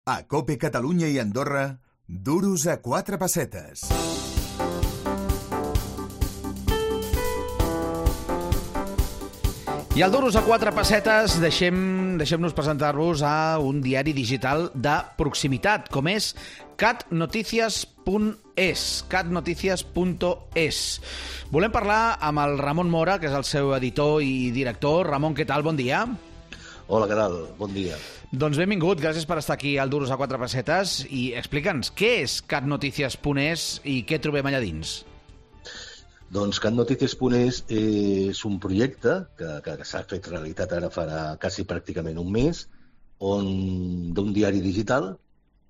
A COPE Catalunya i Andorra, duros a 4 pessetes. I al duros a 4 pessetes deixem-nos presentar-vos a un diari digital de proximitat, com és catnoticias.es. catnoticias.es. Volem parlar amb el Ramon Mora, que és el seu editor i director. Ramon, què tal? Bon dia. Hola, què tal? Bon dia. Doncs benvingut, gràcies per estar aquí al Duros a 4 pessetes i explica'ns què és catnoticias.es i què trobem allà dins. Doncs catnoticias.es és un projecte que s'ha fet realitat ara farà quasi pràcticament un mes, d'un diari digital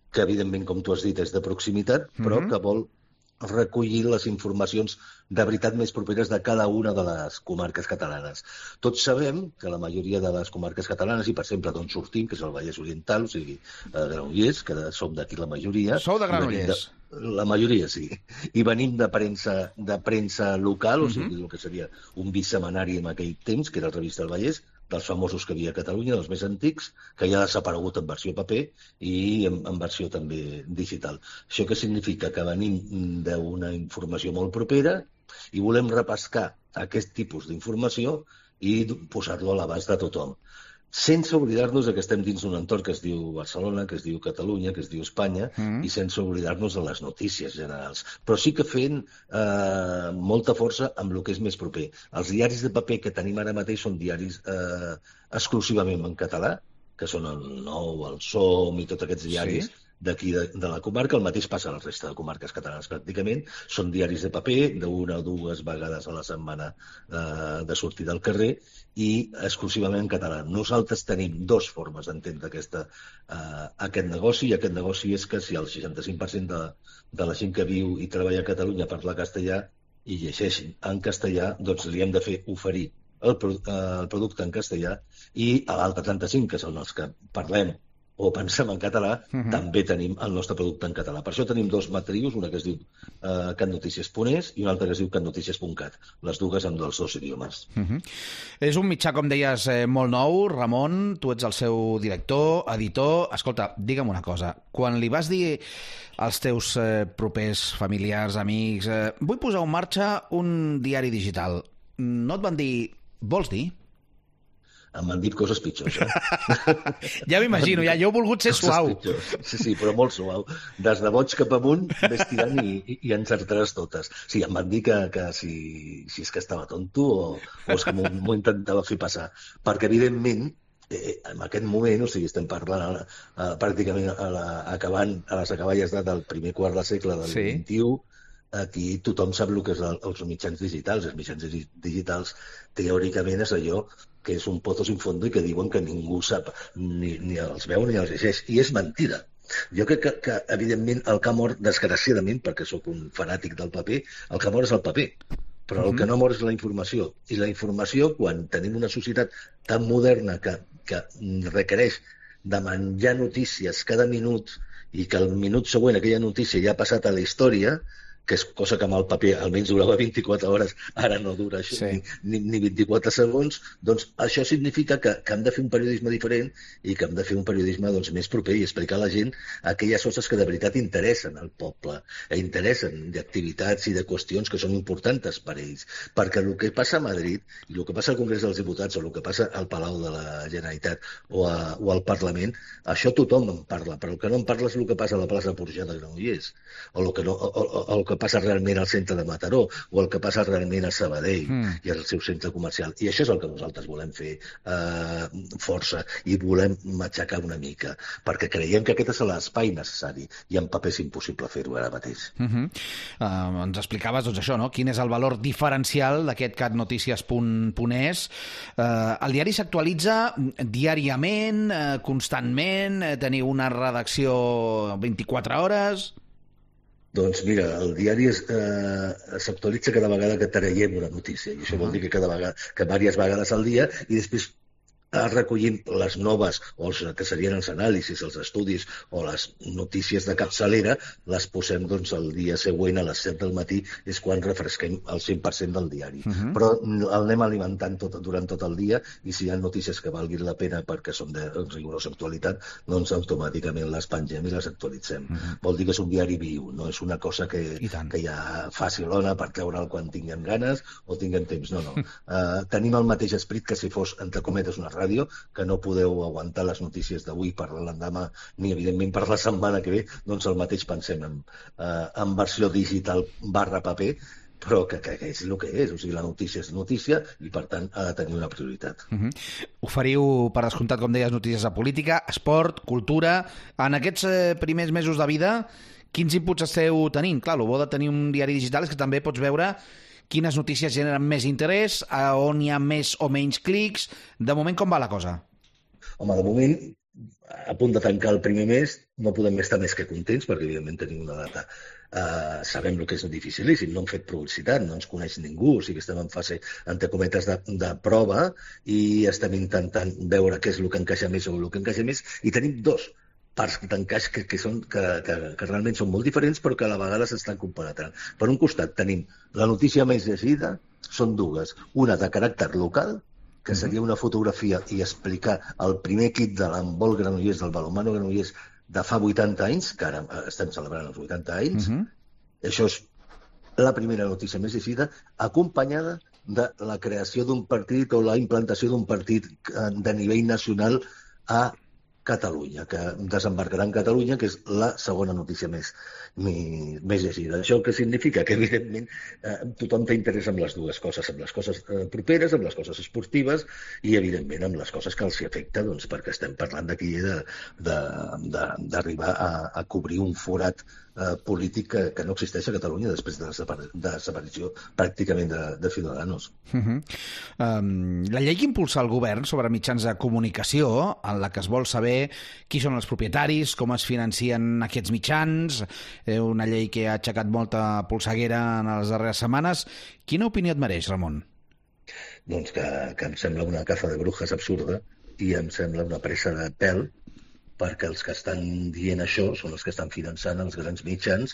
que, evidentment, com tu has dit, és de proximitat, però que vol recollir les informacions de veritat més properes de cada una de les comarques catalanes. Tots sabem que la majoria de les comarques catalanes, i per exemple d'on sortim, que és el Vallès Oriental, o sigui, Granollers, que som d'aquí la majoria... Sou de Granollers? La majoria, sí. I venim de premsa local, o sigui, el que seria un bisetmanari en aquell temps, que era el Revista del Vallès, dels famosos que hi havia a Catalunya, dels més antics, que ja ha desaparegut en versió paper i en versió també digital. Això què significa? Que venim d'una informació molt propera i volem repescar aquest tipus d'informació i posar-lo a l'abast de tothom. Sense oblidar-nos que estem dins d'un entorn que es diu Barcelona, que es diu Catalunya, que es diu Espanya, i sense oblidar-nos de les notícies generals. Però sí que fent molta força amb el que és més proper. Els diaris de paper que tenim ara mateix són diaris exclusivament en català, que són el Nou, el Som i tots aquests diaris d'aquí de la comarca. El mateix passa a la resta de comarques catalanes pràcticament. Són diaris de paper, d'una o dues vegades a la setmana de sortir del carrer i exclusivament en català. Nosaltres tenim dues formes d'entendre aquest negoci, i aquest negoci és que si el 65% de la gent que viu i treballa a Catalunya parla castellà i llegeix en castellà, doncs li hem de fer oferir el producte en castellà, i a l'altre 35%, que són els que parlem o pensem en català, també tenim el nostre producte en català. Per això tenim dos matrius, una que es diu catnoticias.es i una altra que es diu catnoticias.cat, les dues amb els dos idiomes. És un mitjà, com deies, molt nou. Ramon, tu ets el seu director, editor. Escolta, digue'm una cosa. Quan li vas dir als teus propers familiars, amics, vull posar en marxa un diari digital, no et van dir, vols dir? Em van dir coses pitjors, Ja m'imagino, ja. Jo he volgut ser suau. Sí, però molt suau. Des de boig cap amunt, ves tirant i encertaràs totes. Sí, em van dir que si és que estava tonto o és que m'ho intentava fer passar. Perquè, evidentment, en aquest moment, o sigui, estem parlant pràcticament acabant a les acaballes del primer quart de segle del XXI, aquí tothom sap el que és els mitjans digitals. Els mitjans digitals, teòricament, és allò que és un pozo sin fondo i que diuen que ningú sap, ni els veu ni els llegeix. I és mentida. Jo crec que evidentment, el que ha mort, desgraciadament, perquè sóc un fanàtic del paper, el que mort és el paper. Però el que no mort és la informació. I la informació, quan tenim una societat tan moderna que requereix de menjar notícies cada minut i que el minut següent aquella notícia ja ha passat a la història, que és cosa que amb el paper almenys durava 24 hores, ara no dura això, ni 24 segons, doncs això significa que hem de fer un periodisme diferent i que hem de fer un periodisme més proper i explicar a la gent aquelles coses que de veritat interessen al poble, interessen d'activitats i de qüestions que són importants per a ells. Perquè el que passa a Madrid, i el que passa al Congrés dels Diputats, o el que passa al Palau de la Generalitat o al Parlament, això tothom en parla, però el que no en parla és el que passa a la plaça Porjà de Granollers, o el que passa realment al centre de Mataró, o el que passa realment a Sabadell i al seu centre comercial. I això és el que nosaltres volem fer força i volem matxacar una mica, perquè creiem que aquest és l'espai necessari i en paper és impossible fer-ho ara mateix. Ens explicaves, doncs, això, no? Quin és el valor diferencial d'aquest catnoticias.es. El diari s'actualitza diàriament, constantment, teniu una redacció 24 hores... Doncs mira, el diari s'actualitza cada vegada que traiem una notícia, i això vol dir que cada vegada, que diverses vegades al dia, i després recollint les noves, o els que serien els anàlisis, els estudis o les notícies de capçalera, les posem doncs, el dia següent a les 7 del matí, és quan refresquem el 100% del diari. Però el anem alimentant durant tot el dia, i si hi ha notícies que valguin la pena perquè són de rigorosa actualitat, doncs automàticament les pengem i les actualitzem. Vol dir que és un diari viu, no és una cosa que hi ha facilona per treure'l quan tinguem ganes o tinguem temps. No. Tenim el mateix esperit que si fos, entre cometes, una ràdio, que no podeu aguantar les notícies d'avui per l'endemà, ni evidentment per la setmana que ve, doncs el mateix pensem en versió digital / paper, però que és el que és. O sigui, la notícia és notícia i, per tant, ha de tenir una prioritat. Oferiu, per descomptat, com deies, notícies de política, esport, cultura. En aquests primers mesos de vida, quins inputs esteu tenint? Clar, el bo de tenir un diari digital és que també pots veure quines notícies generen més interès, on hi ha més o menys clics. De moment, com va la cosa? Home, de moment, a punt de tancar el primer mes, no podem estar més que contents, perquè evidentment tenim una data. Sabem el que és dificilíssim, no hem fet publicitat, no ens coneix ningú, o sigui que estem en fase, entre cometes, de prova, i estem intentant veure què és el que encaixa més o el que encaixa més, i tenim dos parts d'encaix que realment són molt diferents, però que a la vegada s'estan compenetrant. Per un costat tenim la notícia més llegida, són dues. Una de caràcter local, que seria una fotografia i explicar el primer equip de l'handbol Granollers, del balonmano Granollers, de fa 80 anys, que ara estem celebrant els 80 anys. Això és la primera notícia més llegida, acompanyada de la creació d'un partit o la implantació d'un partit de nivell nacional a Catalunya, que desembarcarà en Catalunya, que és la segona notícia més llegida. Això què significa? Que, evidentment, tothom té interès en les dues coses, amb les coses properes, amb les coses esportives i, evidentment, amb les coses que els hi afecta, doncs, perquè estem parlant d'aquí d'arribar a cobrir un forat polític que no existeix a Catalunya després de la desaparició pràcticament de Ciudadanos. La llei que impulsa el govern sobre mitjans de comunicació, en la que es vol saber qui són els propietaris, com es financien aquests mitjans, una llei que ha aixecat molta polseguera en les darreres setmanes. Quina opinió et mereix, Ramon? Doncs que em sembla una caza de brujas absurda i em sembla una pressa de pèl, perquè els que estan dient això són els que estan finançant els grans mitjans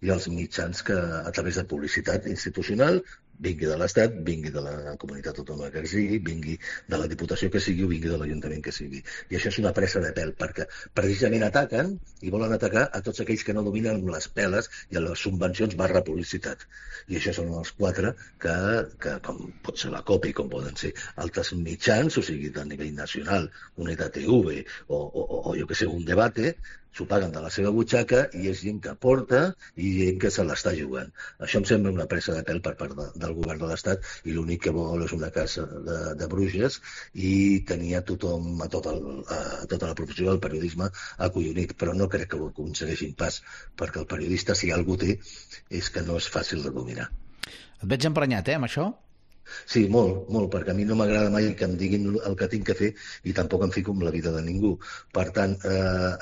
i els mitjans que, a través de publicitat institucional, vingui de l'Estat, vingui de la comunitat autònoma que sigui, vingui de la Diputació que sigui o vingui de l'Ajuntament que sigui. I això és una pressa de pèl, perquè precisament ataquen i volen atacar a tots aquells que no dominen les peles i a les subvencions / publicitat. I això són els quatre que com pot ser la COPE i com poden ser altres mitjans, o sigui, de nivell nacional, un EDATV o jo que sé, un debate, s'ho paguen de la seva butxaca i és gent que aporta i gent que se l'està jugant. Això em sembla una pressa de pèl per part del govern de l'Estat i l'únic que vol és una casa de bruixes i tenia tothom, a tota la professió del periodisme acollonit, però no crec que ho aconsegueixin pas, perquè el periodista, si algú té, és que no és fàcil de dominar. Et veig emprenyat, amb això? Sí, molt, perquè a mi no m'agrada mai que em diguin el que tinc que fer i tampoc em fico en la vida de ningú. Per tant,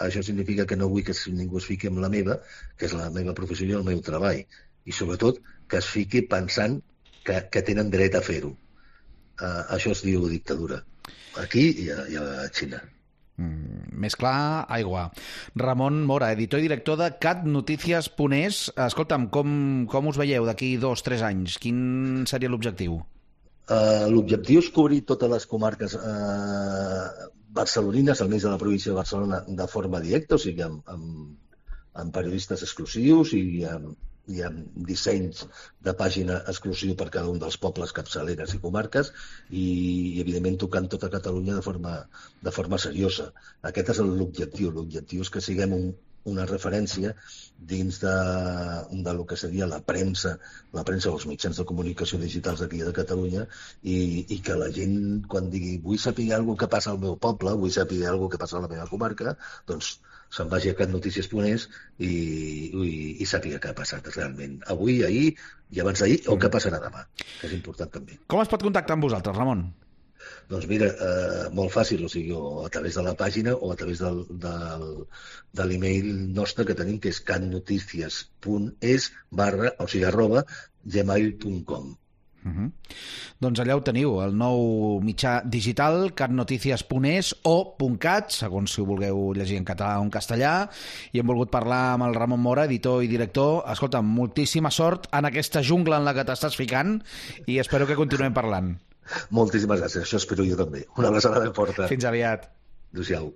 això significa que no vull que ningú es fiqui en la meva, que és la meva professió i el meu treball. I sobretot que es fiqui pensant que tenen dret a fer-ho. Això es diu dictadura. Aquí i a Xina. Més clar, aigua. Ramon Mora, editor i director de catnoticias.es. Escolta'm, com us veieu d'aquí 2-3 anys? Quin seria l'objectiu? L'objectiu és cobrir totes les comarques barcelonines, almenys de la província de Barcelona, de forma directa, o sigui, amb periodistes exclusius i amb dissenys de pàgina exclusiu per cada un dels pobles, capçaleres i comarques i evidentment tocant tota Catalunya de forma seriosa. Aquest és l'objectiu. L'objectiu és que siguem una referència dins de lo que seria la premsa o els mitjans de comunicació digitals aquí de Catalunya i que la gent, quan digui vull saber alguna cosa que passa al meu poble, vull saber alguna cosa que passa a la meva comarca, doncs se'n vagi a catnoticias.es i sàpiga què ha passat realment avui, ahir i abans d'ahir o què passarà demà, que és important també. Com es pot contactar amb vosaltres, Ramon? Doncs mira, molt fàcil, o sigui, o a través de la pàgina o a través de l'email nostre que tenim, que és catnoticias.es / gmail.com. Doncs allà ho teniu, el nou mitjà digital, catnoticias.es o .cat, segons si ho vulgueu llegir en català o en castellà, i hem volgut parlar amb el Ramon Mora, editor i director. Escolta, moltíssima sort en aquesta jungla en la que t'estàs ficant i espero que continuem parlant. Moltíssimes gràcies, això espero jo també. Una abraçada ben forta. Fins aviat. Adéu-siau.